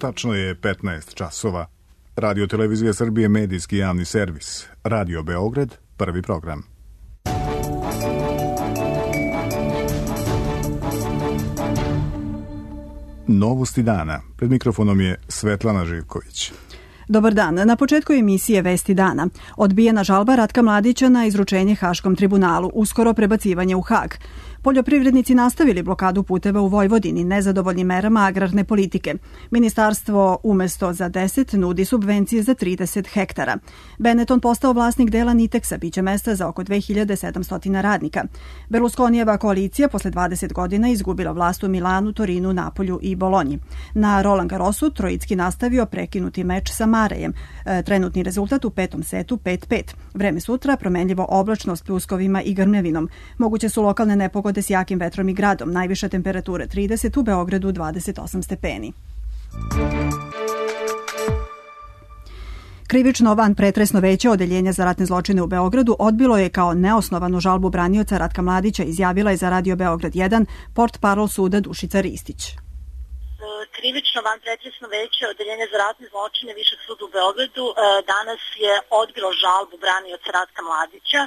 tačno je 15 časova. Radio Televizija Srbije, medijski javni servis. Radio Beograd, prvi program. Novosti dana. Pred mikrofonom je Svetlana Živković. Dobar dan. Na početku emisije Vesti dana. Odbijena žalba Ratka Mladića na izručenje Haškom tribunalu, uskoro prebacivanje u Hag. Poljoprivrednici nastavili blokadu puteva u Vojvodini, nezadovoljni merama agrarne politike. Ministarstvo umesto za 10 nudi subvencije za 30 hektara. Benetton postao vlasnik dela Niteksa, biće mesta za oko 2700 radnika. Berlusconijeva koalicija posle 20 godina izgubila vlast u Milanu, Torinu, Napolju i Bolonji. Na Roland Garrosu Trojicki nastavio prekinuti meč sa Marejem. Trenutni rezultat u petom setu 5-5. Vreme sutra promenljivo oblačno s pljuskovima i grmljavinom. Moguće su lokalne nepogode s jakim vetrom i gradom, najviša temperatura 30, u Beogradu 28 stepeni. Krivično vanpretresno veće Odeljenja za ratne zločine u Beogradu odbilo je kao neosnovanu žalbu branioca Ratka Mladića, izjavila je za Radio Beograd 1 portparol suda Dušica Ristić. Krivično vanpretresno veće Odeljenja za ratne zločine Višeg suda u Beogradu danas je odbilo žalbu branioca Ratka Mladića,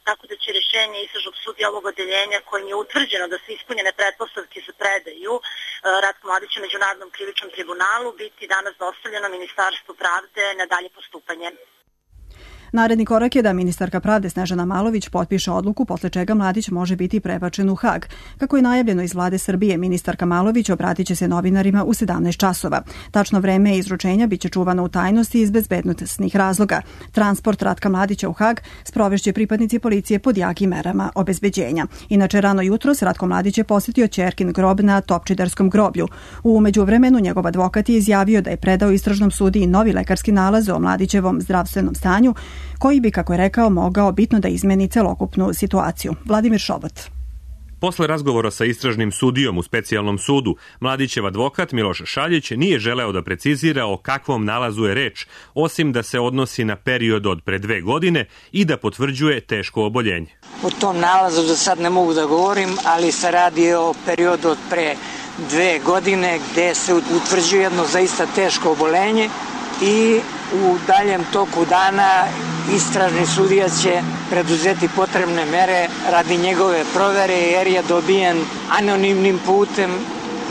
tako da će rješenje istražnog sudija ovog odeljenja kojim je utvrđeno da su ispunjene pretpostavke za predaju Ratka Mladića Međunarodnom krivičnom tribunalu biti danas dostavljeno Ministarstvu pravde na dalje postupanje. Naredni korak je da ministarka pravde Snežana Malović potpiše odluku posle čega Mladić može biti prebačen u Hag. Kako je najavljeno iz vlade Srbije, ministarka Malović obratit će se novinarima u 17 časova. Tačno vreme izručenja biće čuvano u tajnosti iz bezbednosnih razloga. Transport Ratka Mladića u Hag sprovešće pripadnici policije pod jakim merama obezbeđenja. Inače, rano jutros Ratko Mladić je posjetio ćerkin grob na Topčiderskom groblju. U međuvremenu njegov advokat je izjavio da je predao istražnom sudiji novi lekarski nalaz o Mladićevom zdravstvenom stanju, koji bi, kako je rekao, mogao bitno da izmeni celokupnu situaciju. Vladimir Šobot. Posle razgovora sa istražnim sudijom u specijalnom sudu, Mladićev advokat Miloš Šaljić nije želeo da precizira o kakvom nalazu je reč, osim da se odnosi na period od pre 2 godine i da potvrđuje teško oboljenje. O tom nalazu za sad ne mogu da govorim, ali se radi o periodu od pre 2 godine gde se utvrđuje jedno zaista teško oboljenje i u daljem toku dana istražni sudija će preduzeti potrebne mere radi njegove provere jer je dobijen anonimnim putem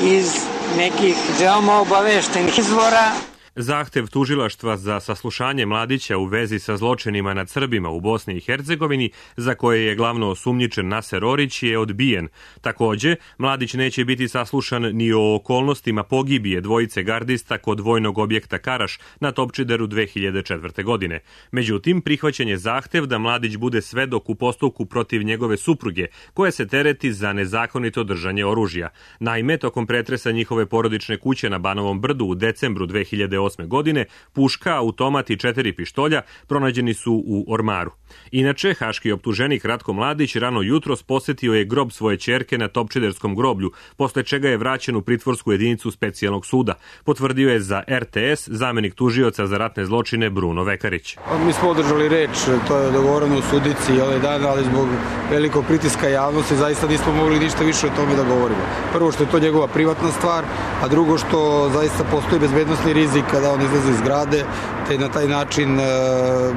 iz nekih veoma obaveštenih izvora. Zahtev tužilaštva za saslušanje Mladića u vezi sa zločinima nad Srbima u Bosni i Hercegovini, za koje je glavno osumnjičen Naser Orić, je odbijen. Takođe, Mladić neće biti saslušan ni o okolnostima pogibije dvojice gardista kod vojnog objekta Karaš na Topčideru 2004. godine. Međutim, prihvaćen je zahtev da Mladić bude svedok u postupku protiv njegove supruge, koja se tereti za nezakonito držanje oružja. Naime, tokom pretresa njihove porodične kuće na Banovom brdu u decembru 2008. godine, puška, automat i 4 pištolja pronađeni su u ormaru. Inače, haški optuženik Ratko Mladić rano jutros posetio je grob svoje ćerke na Topčiderskom groblju, posle čega je vraćen u pritvorsku jedinicu specijalnog suda. Potvrdio je za RTS zamenik tužioca za ratne zločine Bruno Vekarić. Mi smo održali reč, to je dogovoreno u sudici ovaj dan, ali zbog velikog pritiska javnosti zaista nismo mogli ništa više o tome da govorimo. Prvo što je to njegova privatna stvar, a drugo što zaista postoji bezbednosni rizik kada on izlazi iz zgrade, te na taj način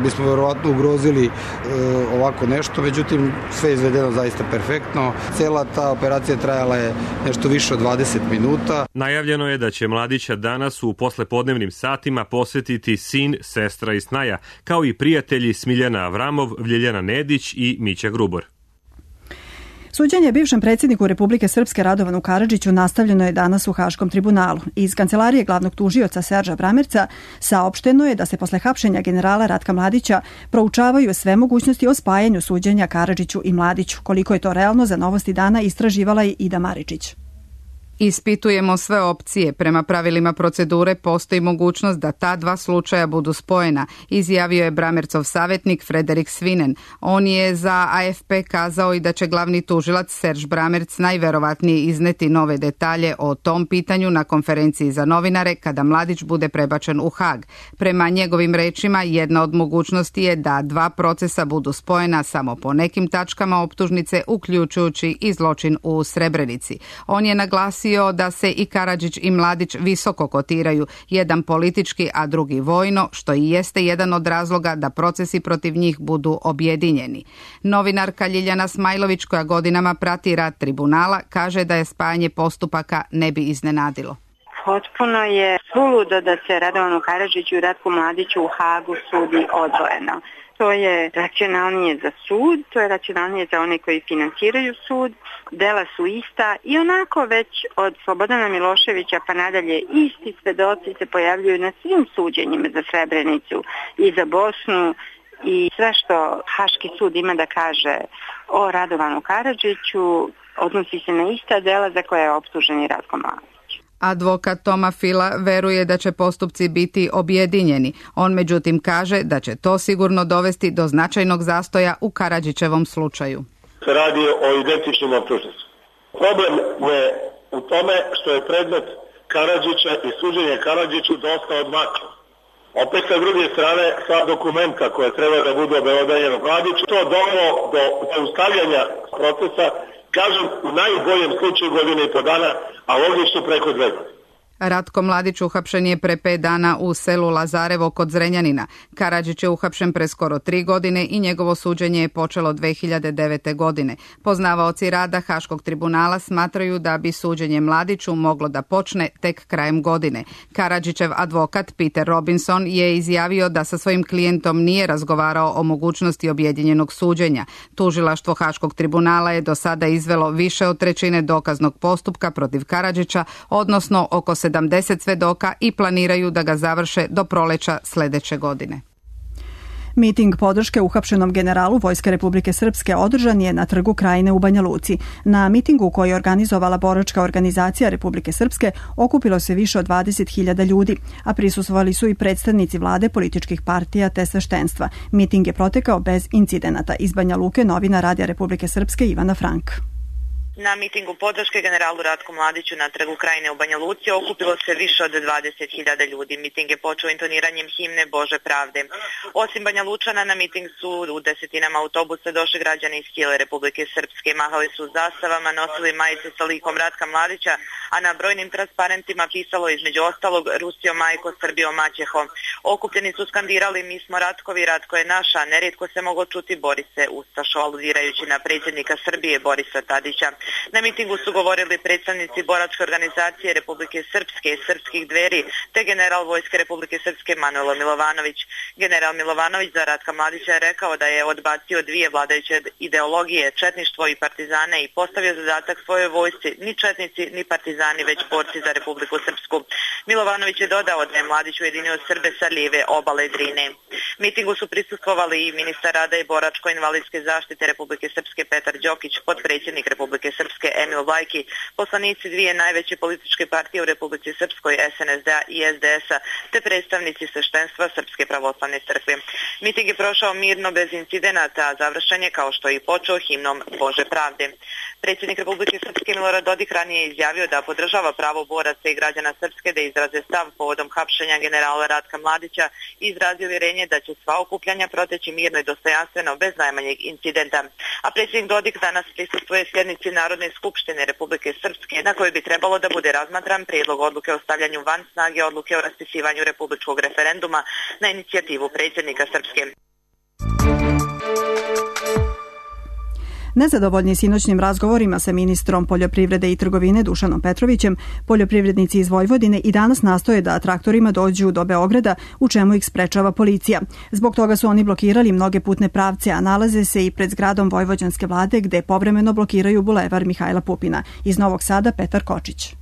bismo verovatno ugrozili ovako nešto, međutim sve je izvedeno zaista perfektno. Cela ta operacija trajala je nešto više od 20 minuta. Najavljeno je da će Mladića danas u poslepodnevnim satima posetiti sin, sestra i snaja, kao i prijatelji Smiljana Avramov, Ljiljana Nedić i Mića Grubor. Suđenje bivšem predsjedniku Republike Srpske Radovanu Karadžiću nastavljeno je danas u Haškom tribunalu. Iz kancelarije glavnog tužioca Serža Bramerca saopšteno je da se posle hapšenja generala Ratka Mladića proučavaju sve mogućnosti o spajanju suđenja Karadžiću i Mladiću. Koliko je to realno, za Novosti dana istraživala je Ida Maričić. Ispitujemo sve opcije. Prema pravilima procedure postoji mogućnost da ta dva slučaja budu spojena, izjavio je Bramercov savjetnik Frederik Svinen. On je za AFP kazao i da će glavni tužilac Serž Bramerc najverovatnije izneti nove detalje o tom pitanju na konferenciji za novinare kada Mladić bude prebačen u Hag. Prema njegovim rečima, jedna od mogućnosti je da dva procesa budu spojena samo po nekim tačkama optužnice, uključujući i zločin u Srebrenici. On je naglasio naglasio da se i Karadžić i Mladić visoko kotiraju, jedan politički, a drugi vojno, što i jeste jedan od razloga da procesi protiv njih budu objedinjeni. Novinarka Ljiljana Smajlović, koja godinama prati rad tribunala, kaže da je spajanje postupaka ne bi iznenadilo. Potpuno je suludo da se Radovanu Karadžiću i Ratku Mladiću u Hagu sudi odvojeno. To je racionalnije za sud, to je racionalnije za one koji finansiraju sud, dela su ista i onako već od Slobodana Miloševića pa nadalje isti svedoci se pojavljuju na svim suđenjima za Srebrenicu i za Bosnu i sve što Haški sud ima da kaže o Radovanu Karadžiću odnosi se na ista dela za koje je optužen i Ratko Mladić. Advokat Toma Fila veruje da će postupci biti objedinjeni. On međutim kaže da će to sigurno dovesti do značajnog zastoja u Karadžićevom slučaju. Se radi o identičnim optužnicama. Problem je u tome što je predmet Karadžića i suđenje Karadžiću dosta odmaklo. Opet sa druge strane, sva dokumenta koja treba da budu obelodanjena Mladiću, to dovelo do zaustavljanja procesa, kažem, u najboljem slučaju godine i po dana, a ovdje su preko 2 godine. Ratko Mladić uhapšen je pre 5 dana u selu Lazarevo kod Zrenjanina. Karadžić je uhapšen pre skoro 3 godine i njegovo suđenje je počelo 2009. godine. Poznavaoci rada Haškog tribunala smatraju da bi suđenje Mladiću moglo da počne tek krajem godine. Karadžićev advokat Peter Robinson je izjavio da sa svojim klijentom nije razgovarao o mogućnosti objedinjenog suđenja. Tužilaštvo Haškog tribunala je do sada izvelo više od 1/3 dokaznog postupka protiv Karadžića, odnosno oko 70 svedoka i planiraju da ga završe do proleća sledeće godine. Miting podrške uhapšenom generalu Vojske Republike Srpske održan je na Trgu Krajine u Banja Luci. Na mitingu koji je organizovala boračka organizacija Republike Srpske okupilo se više od 20.000 ljudi, a prisustvovali su i predstavnici vlade, političkih partija te sveštenstva. Miting je protekao bez incidenata. Iz Banja Luke novina Radija Republike Srpske Ivana Frank. Na mitingu podrške generalu Ratku Mladiću na Trgu Krajine u Banja Luci okupilo se više od 20.000 ljudi. Miting je počeo intoniranjem himne Bože pravde. Osim Banja Lučana, na miting su u desetinama autobusa došli građani iz cijele Republike Srpske. Mahali su zastavama, nosili majice sa likom Ratka Mladića, a na brojnim transparentima pisalo između ostalog Rusio majko, Srbijo maćeho. Okupljeni su skandirali mi smo Ratkovi, Ratko je naša, nerijetko se moglo čuti Borise Ustašo, aludirajući na predsjednika Srbije Borisa Tadića. Na mitingu su govorili predstavnici boračke organizacije Republike Srpske i Srpskih dveri, te general Vojske Republike Srpske Manojlo Milovanović. General Milovanović za Ratka Mladića je rekao da je odbacio 2 vladajuće ideologije, četništvo i partizane, i postavio zadatak svojoj vojsci, ni četnici ni partizani, već borci za Republiku Srpsku. Milovanović je dodao da je Mladić ujedinio Srbe sa lijeve obale Drine. Mitingu su prisustvovali i ministar rada i boračko-invalidske zaštite Republike Srpske Petar Đokić, potpredsjednik Republike Srpske Emil Vajki, poslanici 2 najveće političke partije u Republici Srpskoj, SNSD-a i SDS-a, te predstavnici sveštenstva Srpske pravoslavne crkve. Miting je prošao mirno bez incidenata, a završen je kao što je i počeo himnom Bože pravde. Predsjednik Republike Srpske Milorad Dodik ranije je izjavio da podržava pravo boraca i građana Srpske da izraze stav povodom hapšenja generala Ratka Mladića i izrazio uvjerenje da će sva okupljanja proteći mirno i dostojanstveno bez najmanjeg incidenta. A predsjednik Dodik danas prisustvuje sjednici Narodne skupštine Republike Srpske, na kojoj bi trebalo da bude razmatran prijedlog odluke o stavljanju van snage odluke o raspisivanju republičkog referenduma na inicijativu predsjednika Srpske. Nezadovoljni sinoćnim razgovorima sa ministrom poljoprivrede i trgovine Dušanom Petrovićem, poljoprivrednici iz Vojvodine i danas nastoje da traktorima dođu do Beograda, u čemu ih sprečava policija. Zbog toga su oni blokirali mnoge putne pravce, a nalaze se i pred zgradom vojvođanske vlade, gde povremeno blokiraju bulevar Mihajla Pupina. Iz Novog Sada Petar Kočić.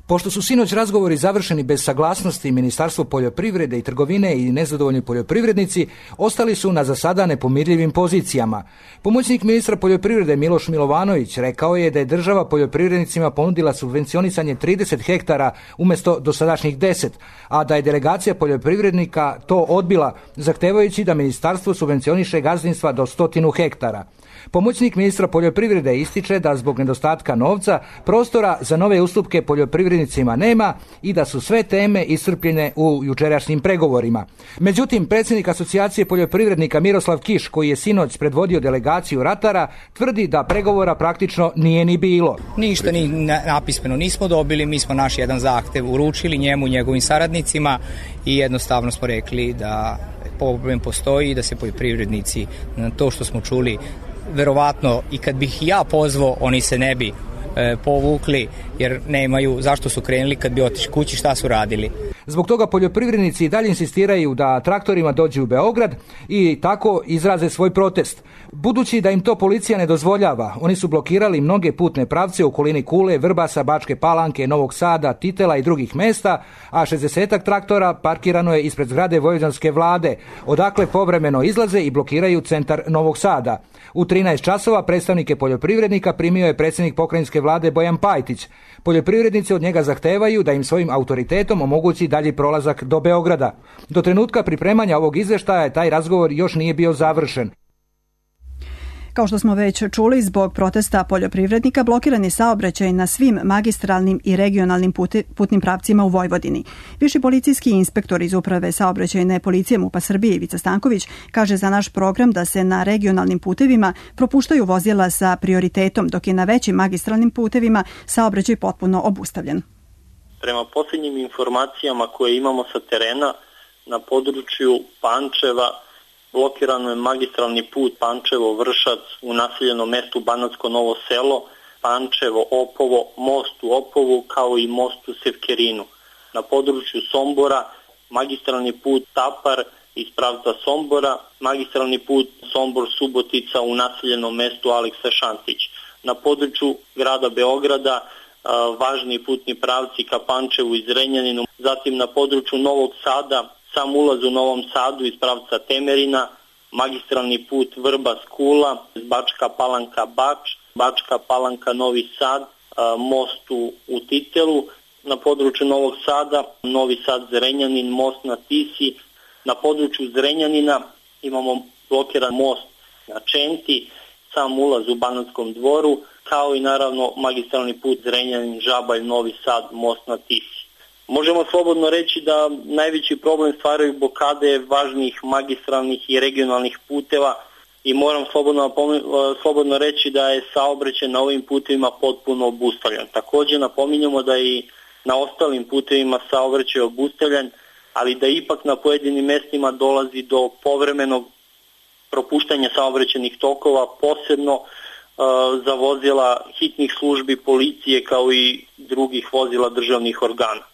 Pošto su sinoć razgovori završeni bez saglasnosti Ministarstvo poljoprivrede i trgovine i nezadovoljni poljoprivrednici ostali su na za sada nepomirljivim pozicijama. Pomoćnik ministra poljoprivrede Miloš Milovanović rekao je da je država poljoprivrednicima ponudila subvencionisanje 30 hektara umjesto dosadašnjih 10, a da je delegacija poljoprivrednika to odbila, zahtevajući da ministarstvo subvencioniše gazdinstva do 100 hektara. Pomoćnik ministra poljoprivrede ističe da zbog nedostatka novca prostora za nove ustupke poljoprivrednicima nema i da su sve teme iscrpljene u jučerašnjim pregovorima. Međutim, predsjednik asocijacije poljoprivrednika Miroslav Kiš, koji je sinoć predvodio delegaciju ratara, tvrdi da pregovora praktično nije ni bilo. Ništa ni napismeno nismo dobili, mi smo naš jedan zahtev uručili njemu i njegovim saradnicima i jednostavno smo rekli da problem postoji i da se poljoprivrednici na to što smo čuli, verovatno i kad bih ja pozvao, oni se ne bi povukli jer nemaju zašto su krenuli kad bi otišli kući, šta su radili. Zbog toga poljoprivrednici i dalje insistiraju da traktorima dođu u Beograd i tako izraze svoj protest. Budući da im to policija ne dozvoljava, oni su blokirali mnoge putne pravce u okolini Kule, Vrbasa, Bačke Palanke, Novog Sada, Titela i drugih mesta, a 60-ak traktora parkirano je ispred zgrade vojvođanske vlade, odakle povremeno izlaze i blokiraju centar Novog Sada. U 13 časova predstavnike poljoprivrednika primio je predsjednik pokrajinske vlade Bojan Pajtić. Poljoprivrednici od njega zahtevaju da im svojim autoritetom omogući dalji prolazak do Beograda. Do trenutka pripremanja ovog izvještaja taj razgovor još nije bio završen. Kao što smo već čuli, zbog protesta poljoprivrednika blokiran je saobraćaj na svim magistralnim i regionalnim putnim pravcima u Vojvodini. Viši policijski inspektor iz Uprave saobraćajne policije MUP-a Srbije Ivica Stanković kaže za naš program da se na regionalnim putevima propuštaju vozila sa prioritetom, dok je na većim magistralnim putevima saobraćaj potpuno obustavljen. Prema posljednjim informacijama koje imamo sa terena, na području Pančeva blokirano je magistralni put Pančevo-Vršac u naseljenom mestu Banatsko Novo Selo, Pančevo-Opovo, most u Opovu kao i most u Sevkerinu. Na području Sombora magistralni put Tapar iz pravca Sombora, magistralni put Sombor-Subotica u naseljenom mestu Aleksa Šantić. Na području grada Beograda važni putni pravci ka Pančevu i Zrenjaninu, zatim na području Novog Sada, sam ulaz u Novom Sadu iz pravca Temerina, magistralni put Vrbas-Kula, Bačka Palanka-Bač, Bačka Palanka-Novi Sad, most u Titelu, na području Novog Sada, Novi Sad-Zrenjanin, most na Tisi, na području Zrenjanina imamo blokiran most na Čenti, sam ulaz u Banatskom dvoru, kao i naravno magistralni put Zrenjanin-Žabalj-Novi Sad, most na Tisi. Možemo slobodno reći da najveći problem stvaraju blokade važnih magistralnih i regionalnih puteva i moram slobodno reći da je saobraćaj na ovim putevima potpuno obustavljen. Također napominjemo da i na ostalim putevima saobraćaj je obustavljen, ali da ipak na pojedinim mestima dolazi do povremenog propuštanja saobraćajnih tokova, posebno za vozila hitnih službi policije kao i drugih vozila državnih organa.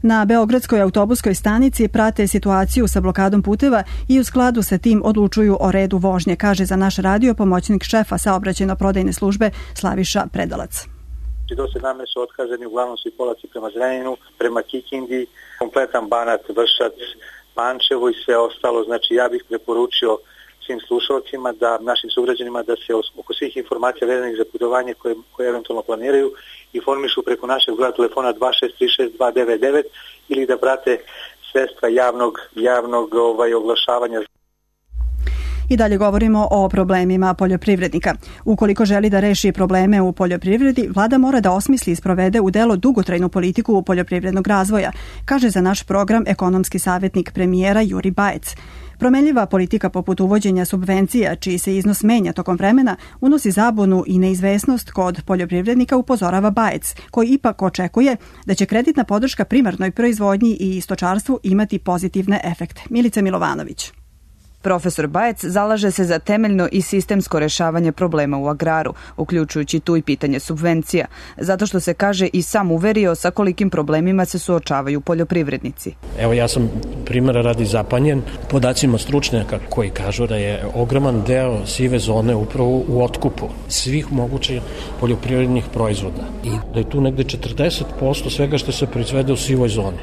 Na Beogradskoj autobuskoj stanici prate situaciju sa blokadom puteva i u skladu sa tim odlučuju o redu vožnje, kaže za naš radio pomoćnik šefa saobraćajno-prodajne službe Slaviša Predalac. Do 17 su otkazani, uglavnom svi polaci prema Zrenjaninu, prema Kikindi, kompletan Banat, Vršac, Pančevo i sve ostalo. Znači ja bih preporučio svim slušalcima, našim sugrađanima da se oko svih informacija vezanih za putovanje koje eventualno planiraju informišu preko našeg broja telefona 2636-299 ili da prate sredstva javnog oglašavanja. I dalje govorimo o problemima poljoprivrednika. Ukoliko želi da reši probleme u poljoprivredi, vlada mora da osmisli i sprovede u delo dugotrajnu politiku poljoprivrednog razvoja, kaže za naš program ekonomski savjetnik premijera Juri Bajec. Promenljiva politika poput uvođenja subvencija, čiji se iznos menja tokom vremena, unosi zabunu i neizvesnost kod poljoprivrednika, upozorava Bajec, koji ipak očekuje da će kreditna podrška primarnoj proizvodnji i stočarstvu imati pozitivne efekte. Milica Milovanović. Profesor Bajec zalaže se za temeljno i sistemsko rešavanje problema u agraru, uključujući tu i pitanje subvencija, zato što se, kaže, i sam uverio sa kolikim problemima se suočavaju poljoprivrednici. Evo, ja sam primjera radi zapanjen podacima stručnjaka koji kažu da je ogroman deo sive zone upravo u otkupu svih mogućih poljoprivrednih proizvoda i da je tu negde 40% svega što se proizvede u sivoj zoni.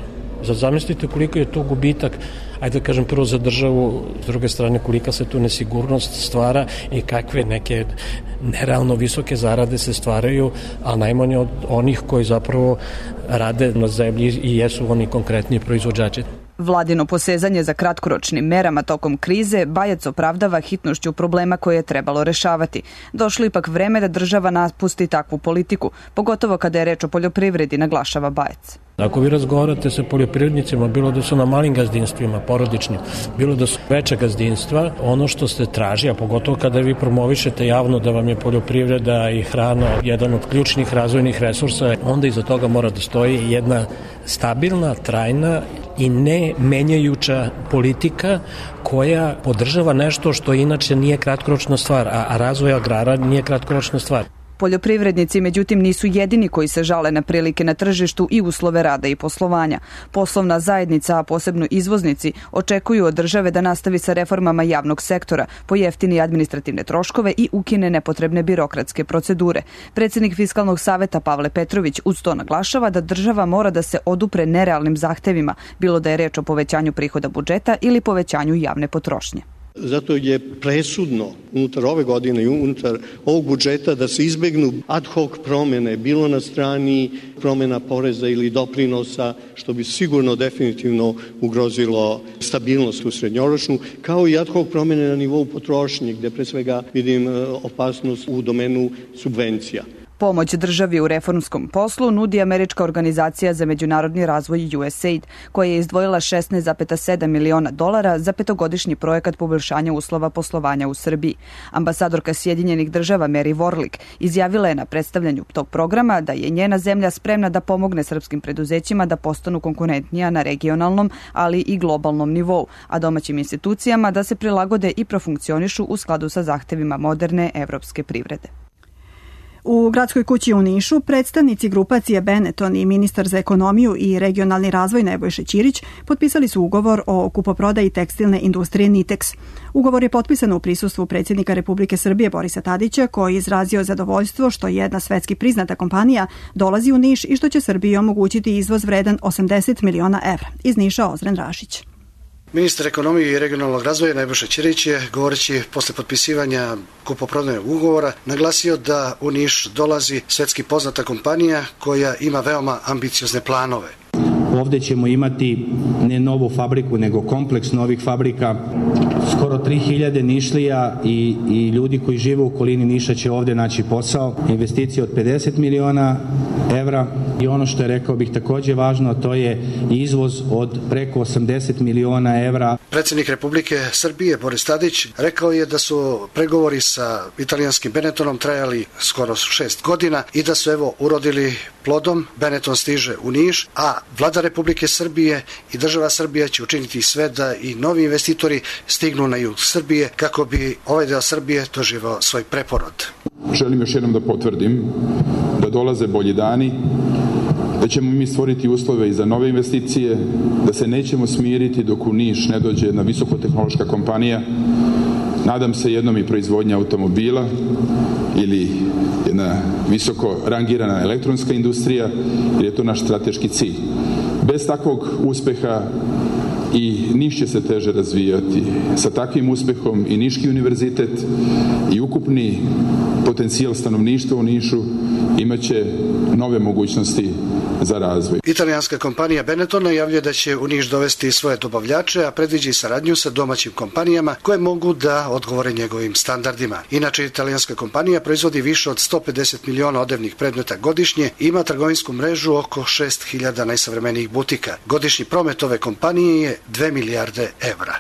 Sad zamislite koliko je to gubitak, ajde da kažem prvo za državu, s druge strane kolika se tu nesigurnost stvara i kakve neke nerealno visoke zarade se stvaraju, a najmanje od onih koji zapravo rade na zemlji i jesu oni konkretni proizvođači. Vladino posezanje za kratkoročnim merama tokom krize Bajac opravdava hitnošću problema koje je trebalo rešavati. Došlo ipak vreme da država napusti takvu politiku, pogotovo kada je reč o poljoprivredi, naglašava Bajac. Ako vi razgovarate sa poljoprivrednicima, bilo da su na malim gazdinstvima, porodičnim, bilo da su veća gazdinstva, ono što se traži, a pogotovo kada vi promovišete javno da vam je poljoprivreda i hrana jedan od ključnih razvojnih resursa, onda iza toga mora da stoji jedna stabilna, trajna i ne menjajuća politika koja podržava nešto što inače nije kratkoročna stvar, a razvoj agrara nije kratkoročna stvar. Poljoprivrednici, međutim, nisu jedini koji se žale na prilike na tržištu i uslove rada i poslovanja. Poslovna zajednica, a posebno izvoznici, očekuju od države da nastavi sa reformama javnog sektora, pojeftini administrativne troškove i ukine nepotrebne birokratske procedure. Predsjednik Fiskalnog saveta Pavle Petrović uz to naglašava da država mora da se odupre nerealnim zahtevima, bilo da je reč o povećanju prihoda budžeta ili povećanju javne potrošnje. Zato je presudno unutar ove godine i unutar ovog budžeta da se izbegnu ad hoc promene, bilo na strani promena poreza ili doprinosa, što bi sigurno definitivno ugrozilo stabilnost u srednjoročnu, kao i ad hoc promene na nivou potrošnje, gde pre svega vidim opasnost u domenu subvencija. Pomoć državi u reformskom poslu nudi Američka organizacija za međunarodni razvoj USAID, koja je izdvojila $16,7 miliona za petogodišnji projekat poboljšanja uslova poslovanja u Srbiji. Ambasadorka Sjedinjenih država Mary Warlick izjavila je na predstavljanju tog programa da je njena zemlja spremna da pomogne srpskim preduzećima da postanu konkurentnija na regionalnom, ali i globalnom nivou, a domaćim institucijama da se prilagode i profunkcionišu u skladu sa zahtevima moderne evropske privrede. U Gradskoj kući u Nišu predstavnici grupacije Benetton i ministar za ekonomiju i regionalni razvoj Nebojša Ćirić potpisali su ugovor o kupoprodaji tekstilne industrije Nitex. Ugovor je potpisan u prisustvu predsjednika Republike Srbije Borisa Tadića, koji je izrazio zadovoljstvo što jedna svetski priznata kompanija dolazi u Niš i što će Srbiji omogućiti izvoz vredan 80 miliona evra. Iz Niša Ozren Rašić. Ministar ekonomije i regionalnog razvoja Nebojša Ćirić je, govoreći posle potpisivanja kupoprodajnog ugovora, naglasio da u Niš dolazi svetski poznata kompanija koja ima veoma ambiciozne planove. Ovde ćemo imati ne novu fabriku, nego kompleks novih fabrika. Skoro 3000 Nišlija i ljudi koji žive u okolini Niša će ovde naći posao. Investicije od 50 miliona evra i ono što je, rekao bih, takođe važno, to je izvoz od preko 80 miliona evra. Predsjednik Republike Srbije Boris Tadić rekao je da su pregovori sa italijanskim Benettonom trajali skoro 6 godina i da su evo urodili plodom. Benetton stiže u Niš, a Vlada Republike Srbije i država Srbija će učiniti sve da i novi investitori stignu na jug Srbije kako bi ovaj deo Srbije doživao svoj preporod. Želim još jednom da potvrdim da dolaze bolji dani, da ćemo mi stvoriti uslove i za nove investicije, da se nećemo smiriti dok u Niš ne dođe jedna visokotehnološka kompanija, nadam se jednom i proizvodnja automobila ili jedna visoko rangirana elektronska industrija, jer je to naš strateški cilj. Bez takvog uspeha i Niš će se teže razvijati. Sa takvim uspehom i Niški univerzitet i ukupni potencijal stanovništva u Nišu imaće nove mogućnosti za razvoj. Italijanska kompanija Benetton najavljuje da će u Niš dovesti svoje dobavljače, a predviđa i saradnju sa domaćim kompanijama koje mogu da odgovore njegovim standardima. Inače, italijanska kompanija proizvodi više od 150 miliona odevnih predmeta godišnje i ima trgovinsku mrežu oko 6000 najsavremenijih butika. Godišnji promet ove kompanije je 2 milijarde evra.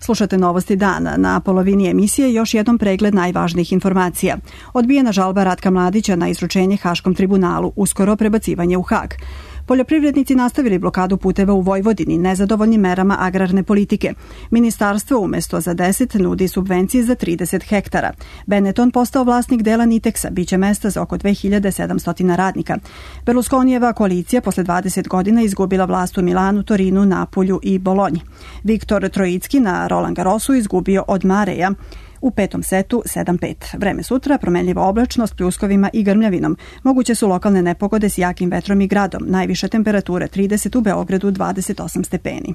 Slušate Novosti dana. Na polovini emisije još jednom pregled najvažnijih informacija. Odbijena žalba Ratka Mladića na izručenje Haškom tribunalu, uskoro prebacivanje u Hag. Poljoprivrednici nastavili blokadu puteva u Vojvodini nezadovoljnim merama agrarne politike. Ministarstvo umjesto za 10 nudi subvencije za 30 hektara. Benetton postao vlasnik dela Nitexa, biće mesta za oko 2700 radnika. Berlusconijeva koalicija posle 20 godina izgubila vlast u Milanu, Torinu, Napulju i Bolonji. Viktor Trojicki na Roland Garrosu izgubio od Mareja u petom setu 7-5. Vreme sutra, promenljiva oblačnost, pljuskovima i grmljavinom. Moguće su lokalne nepogode s jakim vetrom i gradom. Najviše temperature 30, u Beogradu 28 stepeni.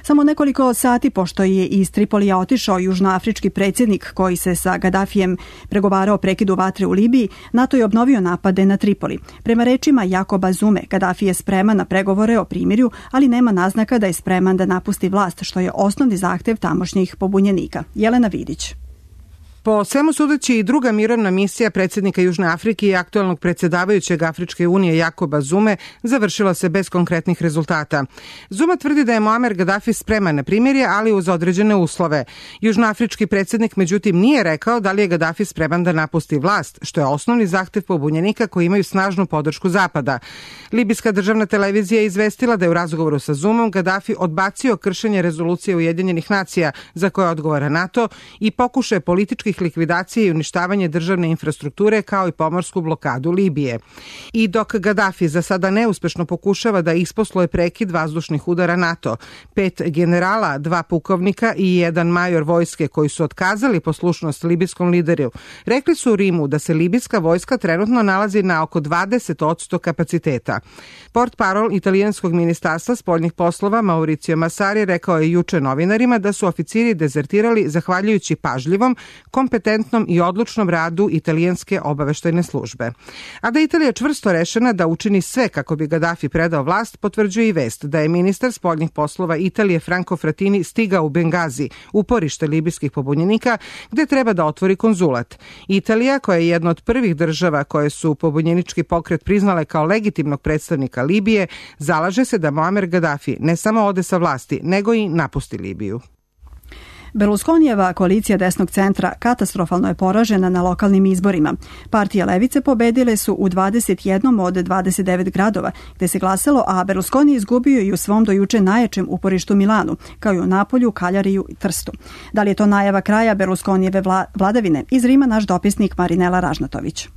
Samo nekoliko sati pošto je iz Tripolija otišao južnoafrički predsjednik koji se sa Gadafijem pregovarao o prekidu vatre u Libiji, NATO je obnovio napade na Tripoli. Prema rečima Jakoba Zume, Gadafi je spreman na pregovore o primirju, ali nema naznaka da je spreman da napusti vlast, što je osnovni zahtev tamošnjih pobunjenika. Jelena Vidić. Po svemu sudeći i druga mirovna misija predsjednika Južne Afrike i aktualnog predsjedavajućeg Afričke unije Jakoba Zume završila se bez konkretnih rezultata. Zuma tvrdi da je Muamer Gadafi spreman na primirje, ali uz određene uslove. Južnoafrički predsjednik međutim nije rekao da li je Gadafi spreman da napusti vlast, što je osnovni zahtev pobunjenika koji imaju snažnu podršku Zapada. Libijska državna televizija je izvestila da je u razgovoru sa Zumom Gadafi odbacio kršenje rezolucije Ujedinjenih nacija za koje odgovara NATO i pokušaje političkih likvidacije i uništavanje državne infrastrukture kao i pomorsku blokadu Libije. I dok Gadafi za sada neuspešno pokušava da isposluje prekid vazdušnih udara NATO, 5 generala, 2 pukovnika i 1 major vojske koji su otkazali poslušnost libijskom lideru, rekli su u Rimu da se libijska vojska trenutno nalazi na oko 20% kapaciteta. Portparol italijanskog ministarstva spoljnih poslova Mauricio Massari rekao je juče novinarima da su oficiri dezertirali zahvaljujući pažljivom, kompetentnom i odlučnom radu italijanske obaveštajne službe. A da Italija čvrsto rešena da učini sve kako bi Gadafi predao vlast, potvrđuje i vest da je ministar spoljnih poslova Italije Franco Frattini stigao u Bengazi, uporište libijskih pobunjenika, gde treba da otvori konzulat. Italija, koja je jedna od prvih država koje su pobunjenički pokret priznale kao legitimnog predstavnika Libije, zalaže se da Muamer Gadafi ne samo ode sa vlasti, nego i napusti Libiju. Berlusconijeva koalicija desnog centra katastrofalno je poražena na lokalnim izborima. Partije levice pobedile su u 21 od 29 gradova gde se glasalo, a Berlusconi je izgubio i u svom dojuče najjačem uporištu Milanu, kao i u Napolju, Kaljariju i Trstu. Da li je to najava kraja Berlusconijeve vladavine? Iz Rima naš dopisnik Marinela Ražnatović.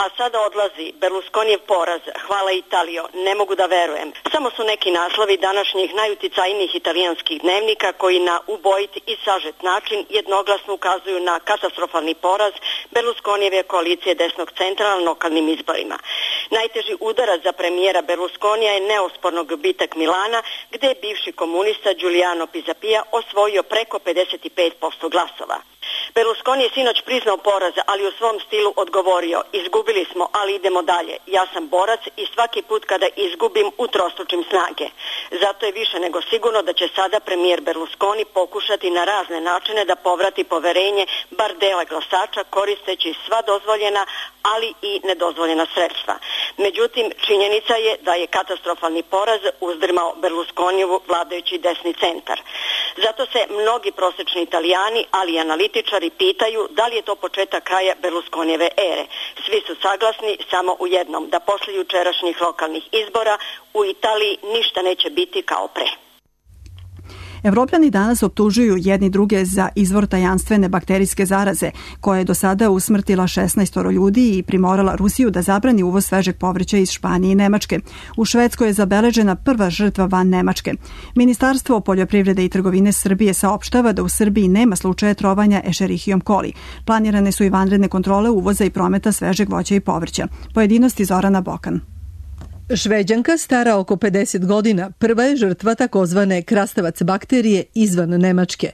A sada odlazi Berlusconijev poraz. Hvala Italijo, ne mogu da verujem. Samo su neki naslovi današnjih najuticajnijih italijanskih dnevnika koji na ubojit i sažet način jednoglasno ukazuju na katastrofalni poraz Berlusconijeve koalicije desnog centra na lokalnim izborima. Najteži udarac za premijera Berlusconija je neosporno gubitak Milana, gde je bivši komunista Giuliano Pisapia osvojio preko 55% glasova. Berlusconi je sinoć priznao poraz, ali u svom stilu odgovorio: izgubili smo, ali idemo dalje. Ja sam borac i svaki put kada izgubim utrostručim snage. Zato je više nego sigurno da će sada premijer Berlusconi pokušati na razne načine da povrati poverenje bar dela glasača koristeći sva dozvoljena, ali i nedozvoljena sredstva. Međutim, činjenica je da je katastrofalni poraz uzdrmao Berlusconijevu vladajući desni centar. Zato se mnogi prosečni Italijani, ali i analitičari pitaju da li je to početak kraja Berlusconijeve ere. Svi su saglasni samo u jednom, da posle jučerašnjih lokalnih izbora u Italiji ništa neće biti kao pre. Evropljani danas optužuju jedni druge za izvor tajanstvene bakterijske zaraze, koja je do sada usmrtila 16 ljudi i primorala Rusiju da zabrani uvoz svežeg povrća iz Španije i Nemačke. U Švedskoj je zabeležena prva žrtva van Nemačke. Ministarstvo poljoprivrede i trgovine Srbije saopštava da u Srbiji nema slučaja trovanja Escherichiom coli. Planirane su i vanredne kontrole uvoza i prometa svežeg voća i povrća. Pojedinosti Zorana Bokan. Šveđanka stara oko 50 godina prva je žrtva takozvane krastavac bakterije izvan Nemačke.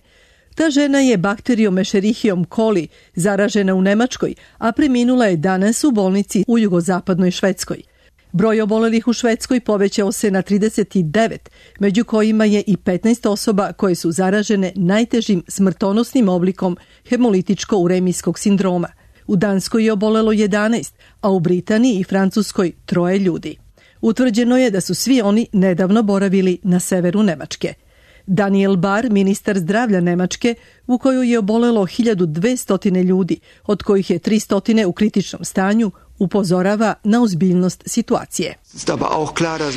Ta žena je bakterijom Escherichiom coli zaražena u Nemačkoj, a preminula je danas u bolnici u jugozapadnoj Švedskoj. Broj obolelih u Švedskoj povećao se na 39, među kojima je i 15 osoba koje su zaražene najtežim smrtonosnim oblikom hemolitičko-uremijskog sindroma. U Danskoj je obolelo 11, a u Britaniji i Francuskoj 3 ljudi. Utvrđeno je da su svi oni nedavno boravili na severu Nemačke. Daniel Bar, ministar zdravlja Nemačke, u kojoj je obolelo 1200 ljudi, od kojih je 300 u kritičnom stanju, upozorava na ozbiljnost situacije.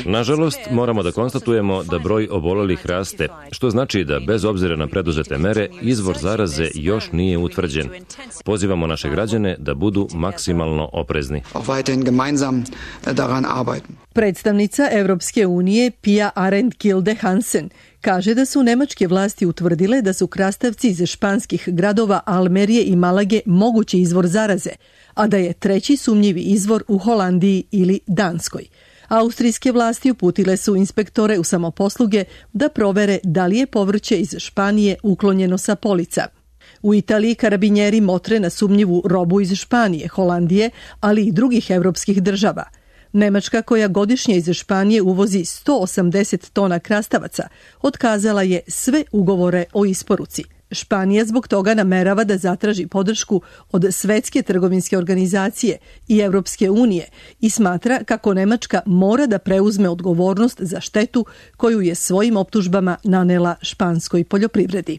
Nažalost, moramo da konstatujemo da broj obolelih raste, što znači da bez obzira na preduzete mere, izvor zaraze još nije utvrđen. Pozivamo naše građane da budu maksimalno oprezni. Predstavnica Evropske unije Pia Arendt-Kilde Hansen kaže da su nemačke vlasti utvrdile da su krastavci iz španskih gradova Almerije i Malage mogući izvor zaraze, a da je treći sumnjivi izvor u Holandiji ili Danskoj. Austrijske vlasti uputile su inspektore u samoposluge da provere da li je povrće iz Španije uklonjeno sa polica. U Italiji karabinjeri motre na sumnjivu robu iz Španije, Holandije, ali i drugih evropskih država. Nemačka, koja godišnje iz Španije uvozi 180 tona krastavaca, otkazala je sve ugovore o isporuci. Španija zbog toga namerava da zatraži podršku od Svetske trgovinske organizacije i Evropske unije i smatra kako Nemačka mora da preuzme odgovornost za štetu koju je svojim optužbama nanela španskoj poljoprivredi.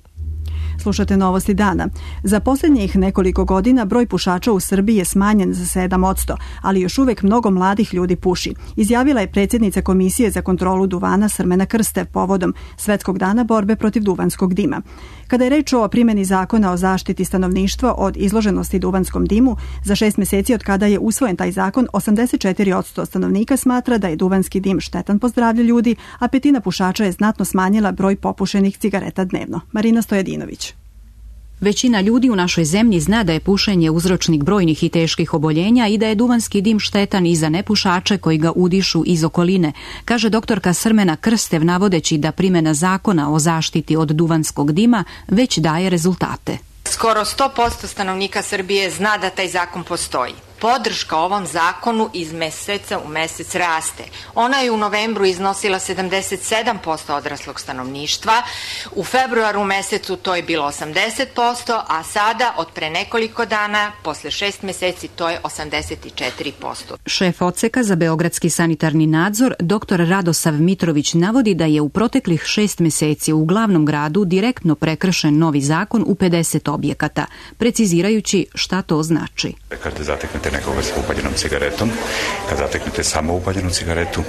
Slušate Novosti dana. Za posljednjih nekoliko godina broj pušača u Srbiji je smanjen za 7%, ali još uvek mnogo mladih ljudi puši, izjavila je predsjednica Komisije za kontrolu duvana Srmena Krstev povodom Svetskog dana borbe protiv duvanskog dima. Kada je reč o primjeni zakona o zaštiti stanovništva od izloženosti duvanskom dimu, za 6 mjeseci od kada je usvojen taj zakon, 84% stanovnika smatra da je duvanski dim štetan po zdravlje ljudi, a petina pušača je znatno smanjila broj popušenih cigareta dnevno. Marina Stojedinović. Većina ljudi u našoj zemlji zna da je pušenje uzročnik brojnih i teških oboljenja i da je duvanski dim štetan i za nepušače koji ga udišu iz okoline, kaže doktorka Srmena Krstev navodeći da primjena zakona o zaštiti od duvanskog dima već daje rezultate. Skoro 100% stanovnika Srbije zna da taj zakon postoji. Podrška ovom zakonu iz meseca u mesec raste. Ona je u novembru iznosila 77% odraslog stanovništva, u februaru mesecu to je bilo 80%, a sada od pre nekoliko dana, posle 6 meseci, to je 84%. Šef odseka za beogradski sanitarni nadzor, dr. Radosav Mitrović, navodi da je u proteklih 6 meseci u glavnom gradu direktno prekršen novi zakon u 50 objekata, precizirajući šta to znači. Kada zateknete nekoga sa upaljenom cigaretom, kad zateknete samo upaljenu cigaretu,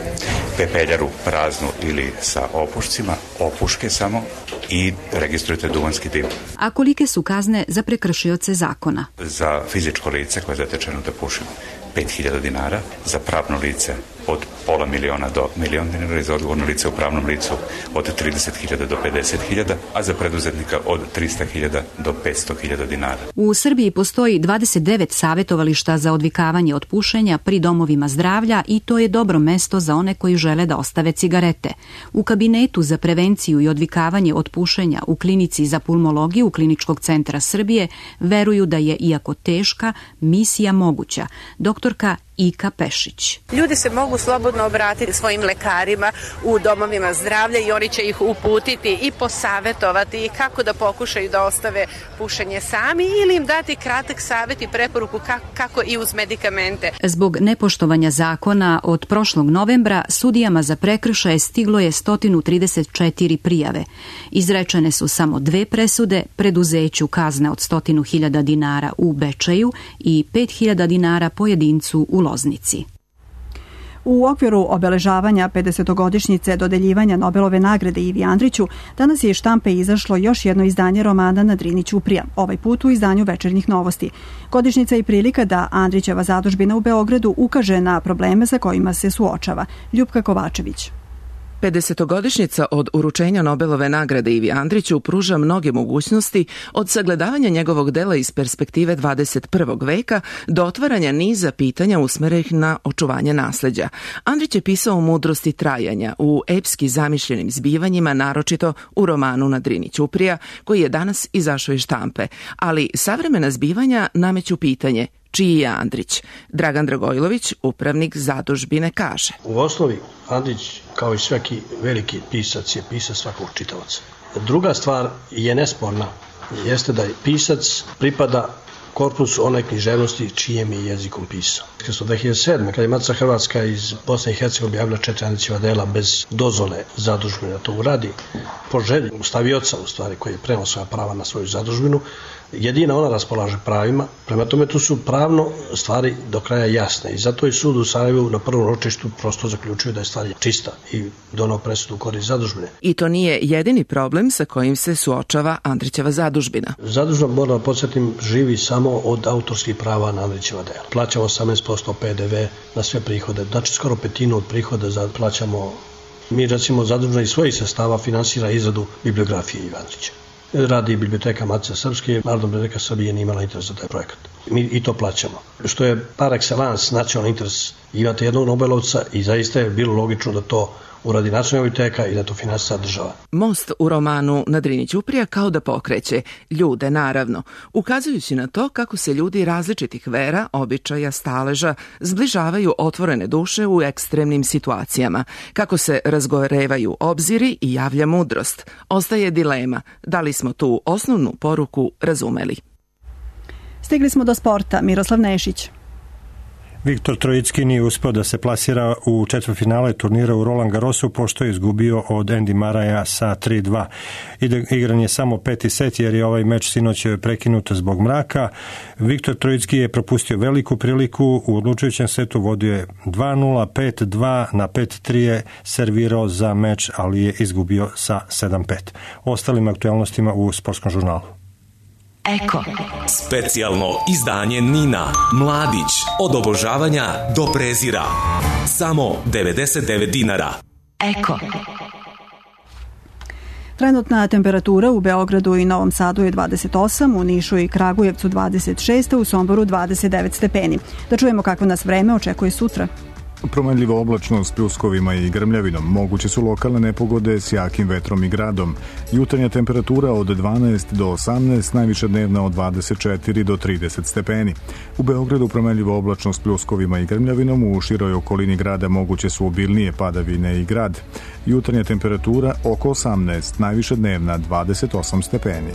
pepeljaru praznu ili sa opušcima, opuške samo i registrujete duvanski dim. A kolike su kazne za prekršioce zakona? Za fizičko lice koje je zatečeno da puši 5.000 dinara, za pravno lice od $500.000 do $1.000.000 dinara i za odgovorno lice u pravnom licu od 30.000 do 50.000, a za preduzetnika od 300.000 do 500.000 dinara. U Srbiji postoji 29 savjetovališta za odvikavanje od pušenja pri domovima zdravlja i to je dobro mesto za one koji žele da ostave cigarete. U kabinetu za prevenciju i odvikavanje od pušenja u klinici za pulmologiju Kliničkog centra Srbije veruju da je, iako teška, misija moguća. Doktorka Ika Pešić. Ljudi se mogu slobodno obratiti svojim lekarima u domovima zdravlja i oni će ih uputiti i posavetovati i kako da pokušaju da ostave pušenje sami ili im dati kratak savjet i preporuku kako i uz medikamente. Zbog nepoštovanja zakona od prošlog novembra sudijama za prekršaje stiglo je 134 prijave. Izrečene su samo 2 presude, preduzeću kazna od 100.000 dinara u Bečeju i 5.000 dinara pojedincu u Loznici. U okviru obeležavanja 50-godišnjice dodeljivanja Nobelove nagrade Ivi Andriću, danas je iz štampe izašlo još jedno izdanje romana Na Drini ćuprija, ovaj put u izdanju Večernjih novosti. Godišnjica je prilika da Andrićeva zadužbina u Beogradu ukaže na probleme sa kojima se suočava. Ljupka Kovačević. 50-godišnjica od uručenja Nobelove nagrade Ivi Andriću pruža mnoge mogućnosti od sagledavanja njegovog dela iz perspektive 21. veka do otvaranja niza pitanja usmerenih na očuvanje nasleđa. Andrić je pisao o mudrosti trajanja u epski zamišljenim zbivanjima, naročito u romanu Na Drini ćuprija, koji je danas izašao iz štampe, ali savremena zbivanja nameću pitanje čiji je Andrić. Dragan Dragojlović, upravnik zadužbine, kaže: U osnovi Andrić, kao i svaki veliki pisac, je pisac svakog čitavaca. Druga stvar je nesporna, jeste da je pisac pripada korpusu one književnosti čijem je jezikom pisao. 2007. kada je Matica Hrvatska iz Bosne i Hercegovine objavila 4 Andrićeva dela bez dozvole zadužbine da to uradi, po želji stavioca, u stvari, koji je preneo svoja prava na svoju zadužbinu, jedina ona raspolaže pravima, prema tome tu su pravno stvari do kraja jasne i zato je sud u Sarajevu na prvom ročištu prosto zaključio da je stvar čista i donao presudu u korist zadužbine. I to nije jedini problem sa kojim se suočava Andrićeva zadužbina. Zadužbina, moram da podsjetim, živi samo od autorskih prava na Andrićeva dela. Plaćamo 18% PDV na sve prihode, znači skoro petinu od prihoda plaćamo. Mi, recimo, zadužbina iz svojih sredstava finansira izradu bibliografije Ive Andrića. radi biblioteka Matice Srpske, Narodna biblioteka Srbije nije imala interes za taj projekat. Mi i to plaćamo. Što je par excellence nacionalni interes. Imate jednog Nobelovca i zaista je bilo logično da to uradi nacionalna biblioteka i da to finansira država. Most u romanu na Drini ćuprija kao da pokreće ljude, naravno, ukazujući na to kako se ljudi različitih vera, običaja, staleža zbližavaju otvorene duše u ekstremnim situacijama, kako se razgorevaju obziri i javlja mudrost. Ostaje dilema, da li smo tu osnovnu poruku razumeli. Stigli smo do sporta. Miroslav Nešić. Viktor Trojicki nije uspeo da se plasira u četvrtfinale turnira u Roland Garrosu, pošto je izgubio od Andy Murraya sa 3-2. Igran je samo 5. set jer je ovaj meč sinoć prekinut zbog mraka. Viktor Trojicki je propustio veliku priliku, u odlučujućem setu vodio je 2-0, 5-2, na 5-3 je servirao za meč, ali je izgubio sa 7-5. Ostalim aktualnostima u sportskom žurnalu. Eko. Specijalno izdanje Nina. Mladić. Od obožavanja do prezira. Samo 99 dinara. Eko. Trenutna temperatura u Beogradu i Novom Sadu je 28, u Nišu i Kragujevcu 26, u Somboru 29 stepeni. Da čujemo kakvo nas vreme očekuje sutra. Promenljiva oblačnost s pljuskovima i grmljavinom. Moguće su lokalne nepogode s jakim vetrom i gradom. Jutarnja temperatura od 12 do 18, najviša dnevna od 24 do 30 stepeni. U Beogradu promenljiva oblačnost s pljuskovima i grmljavinom, u široj okolini grada moguće su obilnije padavine i grad. Jutarnja temperatura oko 18, najviša dnevna 28 stepeni.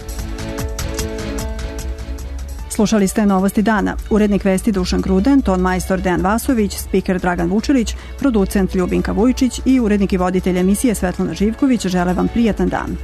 Slušali ste Novosti dana. Urednik vesti Dušan Gruden, ton majstor Dejan Vasović, spiker Dragan Vučelić, producent Ljubinka Vujčić i urednik i voditelj emisije Svetlana Živković žele vam prijatan dan.